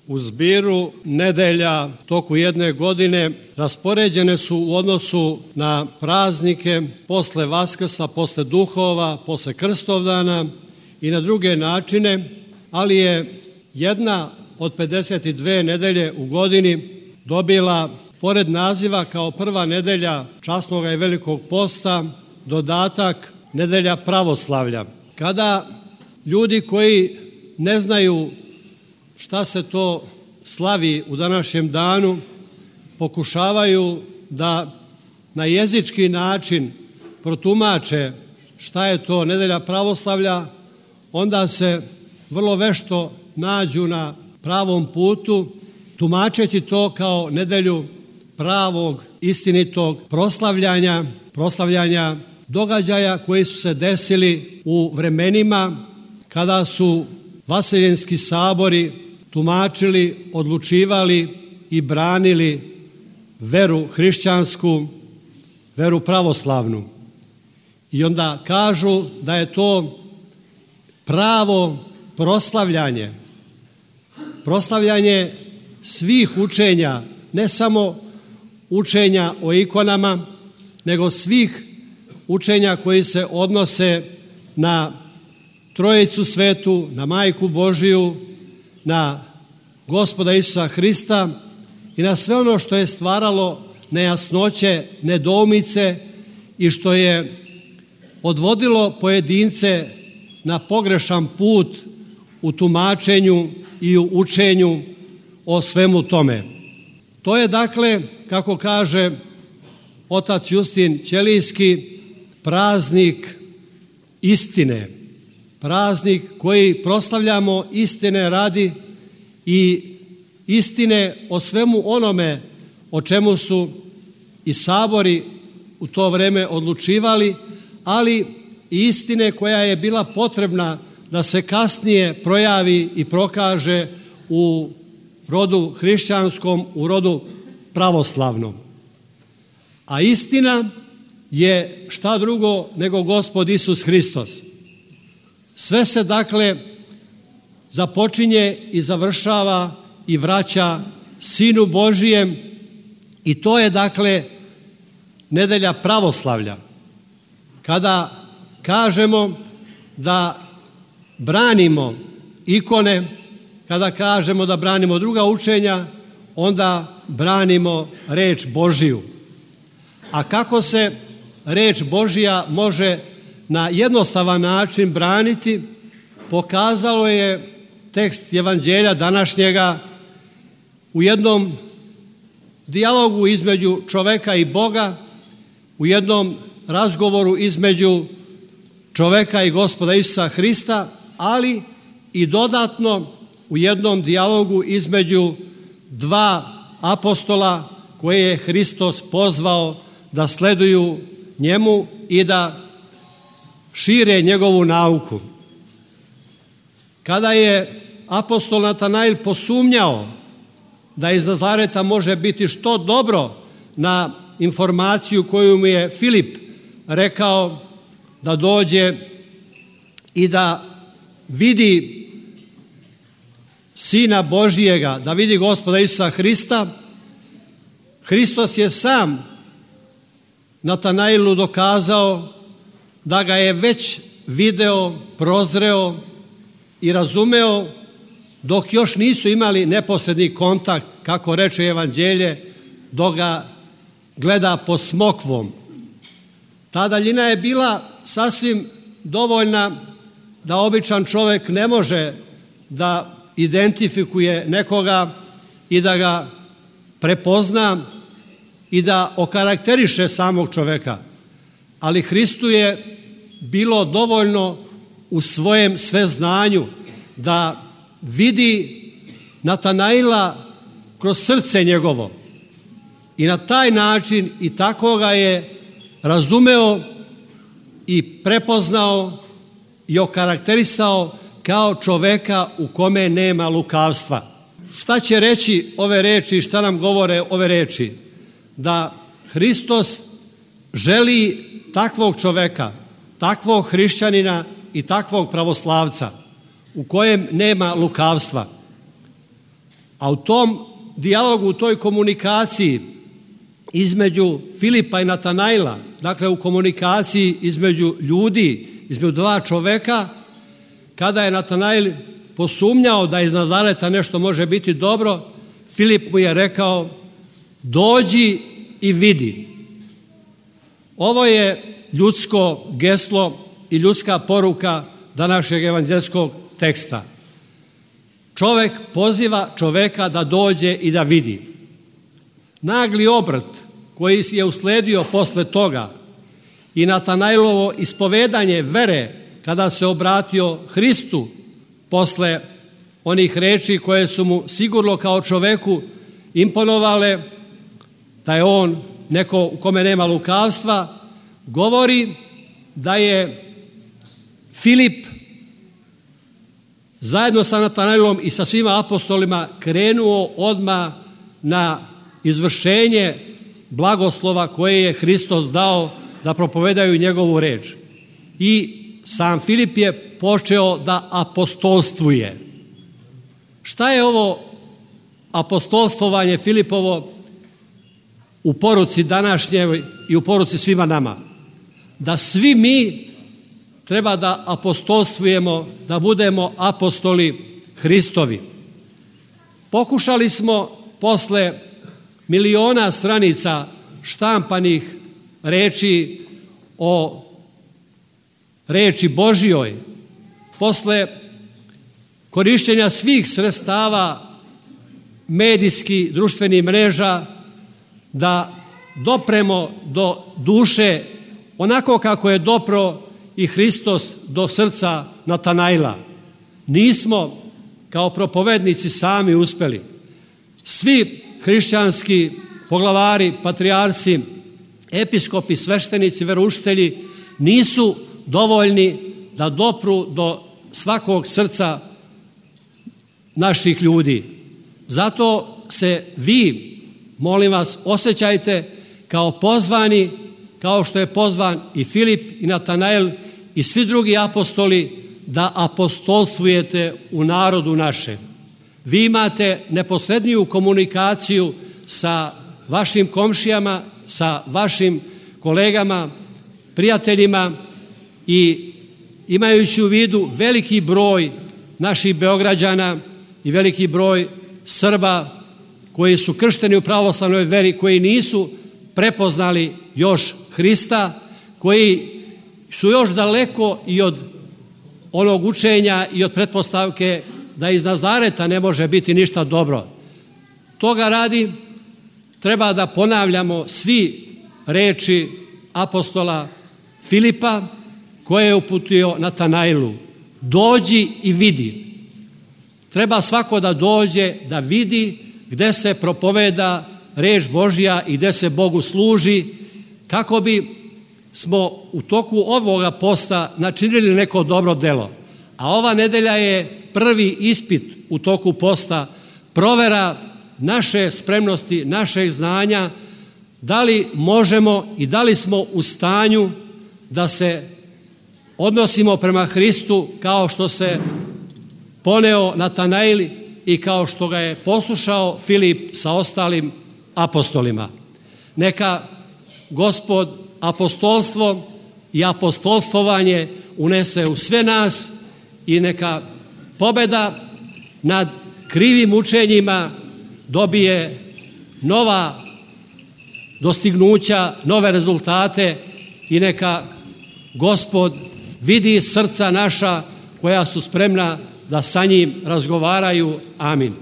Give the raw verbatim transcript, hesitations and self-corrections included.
u zbiru nedelja toku jedne godine raspoređene su u odnosu na praznike posle Vaskrsa, posle Duhova, posle Krstovdana i na druge načine, ali je jedna od pedeset dve nedelje u godini dobila, pored naziva kao prva nedelja časnog i velikog posta, dodatak nedelja pravoslavlja. Kada ljudi koji ne znaju šta se to slavi u današnjem danu pokušavaju da na jezički način protumače šta je to nedelja pravoslavlja, onda se vrlo vešto nađu na pravom putu, tumačeći to kao nedelju pravog, istinitog proslavljanja, proslavljanja događaja koji su se desili u vremenima kada su vaseljenski sabori tumačili, odlučivali i branili veru hrišćansku, veru pravoslavnu. I onda kažu da je to pravo proslavljanje, proslavljanje svih učenja, ne samo učenja o ikonama, nego svih učenja koji se odnose na Trojicu svetu, na Majku Božiju, na Gospoda Isusa Hrista i na sve ono što je stvaralo nejasnoće, nedoumice i što je odvodilo pojedince na pogrešan put u tumačenju i u učenju o svemu tome. To je dakle, kako kaže otac Justin Ćelijski, praznik istine, praznik koji proslavljamo istine radi i istine o svemu onome o čemu su i sabori u to vreme odlučivali, ali i istine koja je bila potrebna da se kasnije projavi i prokaže u rodu hrišćanskom, u rodu pravoslavnom. A istina je šta drugo nego Gospod Isus Hristos. Sve se dakle započinje i završava i vraća Sinu Božijem i to je dakle nedelja pravoslavlja. Kada kažemo da branimo ikone, kada kažemo da branimo druga učenja, onda branimo reč Božiju. A kako se reč Božija može na jednostavan način braniti, pokazalo je tekst evanđelja današnjega u jednom dijalogu između čoveka i Boga, u jednom razgovoru između čoveka i Gospoda Isusa Hrista, ali i dodatno u jednom dijalogu između dva apostola koje je Hristos pozvao da sleduju njemu i da šire njegovu nauku. Kada je apostol Natanail posumnjao da iz Nazareta može biti što dobro na informaciju koju mu je Filip rekao da dođe i da vidi Sina Božijega, da vidi Gospoda Isusa Hrista, Hristos je sam Natanailu dokazao da ga je već video, prozreo i razumeo dok još nisu imali neposredni kontakt, kako reče evanđelje, dok ga gleda pod smokvom. Ta daljina je bila sasvim dovoljna da običan čovjek ne može da identifikuje nekoga i da ga prepozna i da okarakteriše samog čoveka. Ali Hristu je bilo dovoljno u svojem sveznanju da vidi Natanaila kroz srce njegovo. I na taj način i tako ga je razumeo i prepoznao i okarakterisao kao čoveka u kome nema lukavstva. Šta će reći ove reči, šta nam govore ove reči? Da Hristos želi takvog čoveka, takvog hrišćanina i takvog pravoslavca u kojem nema lukavstva. A u tom dijalogu, u toj komunikaciji između Filipa i Natanaila, dakle u komunikaciji između ljudi, između dva čoveka, kada je Natanail posumnjao da iz Nazareta nešto može biti dobro, Filip mu je rekao: dođi i vidi. Ovo je ljudsko geslo i ljudska poruka današnjeg evanđelskog teksta. Čovek poziva čoveka da dođe i da vidi. Nagli obrt koji je usledio posle toga i Natanailovo ispovedanje vere kada se obratio Hristu posle onih reči koje su mu sigurno kao čoveku imponovale, da je on neko u kome nema lukavstva, govori da je Filip zajedno sa Natanailom i sa svima apostolima krenuo odmah na izvršenje blagoslova koje je Hristos dao da propovedaju njegovu reč. I sam Filip je počeo da apostolstvuje. Šta je ovo apostolstvovanje Filipovo u poruci današnjoj i u poruci svima nama? Da svi mi treba da apostolstvujemo, da budemo apostoli Hristovi. Pokušali smo posle miliona stranica štampanih reči o reči Božjoj, posle korištenja svih sredstava medijskih, društvenih mreža, da dopremo do duše onako kako je dopro i Hristos do srca Natanaila. Nismo kao propovednici sami uspeli. Svi hrišćanski poglavari, patrijarsi, episkopi, sveštenici, veroučitelji nisu dovoljni da dopru do svakog srca naših ljudi. Zato se vi, molim vas, osjećajte kao pozvani, kao što je pozvan i Filip i Natanail i svi drugi apostoli, da apostolstvujete u narodu našem. Vi imate neposredniju komunikaciju sa vašim komšijama, sa vašim kolegama, prijateljima i imajući u vidu veliki broj naših Beograđana i veliki broj Srba koji su kršteni u pravoslavnoj veri, koji nisu prepoznali još Hrista, koji su još daleko i od onog učenja i od pretpostavke da iz Nazareta ne može biti ništa dobro. Toga radi treba da ponavljamo svi reči apostola Filipa koje je uputio Natanailu: dođi i vidi. Treba svako da dođe, da vidi gde se propoveda reč Božja i gde se Bogu služi, kako bi smo u toku ovoga posta načinili neko dobro delo. A ova nedelja je prvi ispit u toku posta, provera naše spremnosti, našeg znanja, da li možemo i da li smo u stanju da se odnosimo prema Hristu kao što se poneo Natanail i kao što ga je poslušao Filip sa ostalim apostolima. Neka Gospod apostolstvo i apostolstvovanje unese u sve nas i neka pobeda nad krivim učenjima dobije nova dostignuća, nove rezultate i neka Gospod vidi srca naša koja su spremna da sa njim razgovaraju. Amin.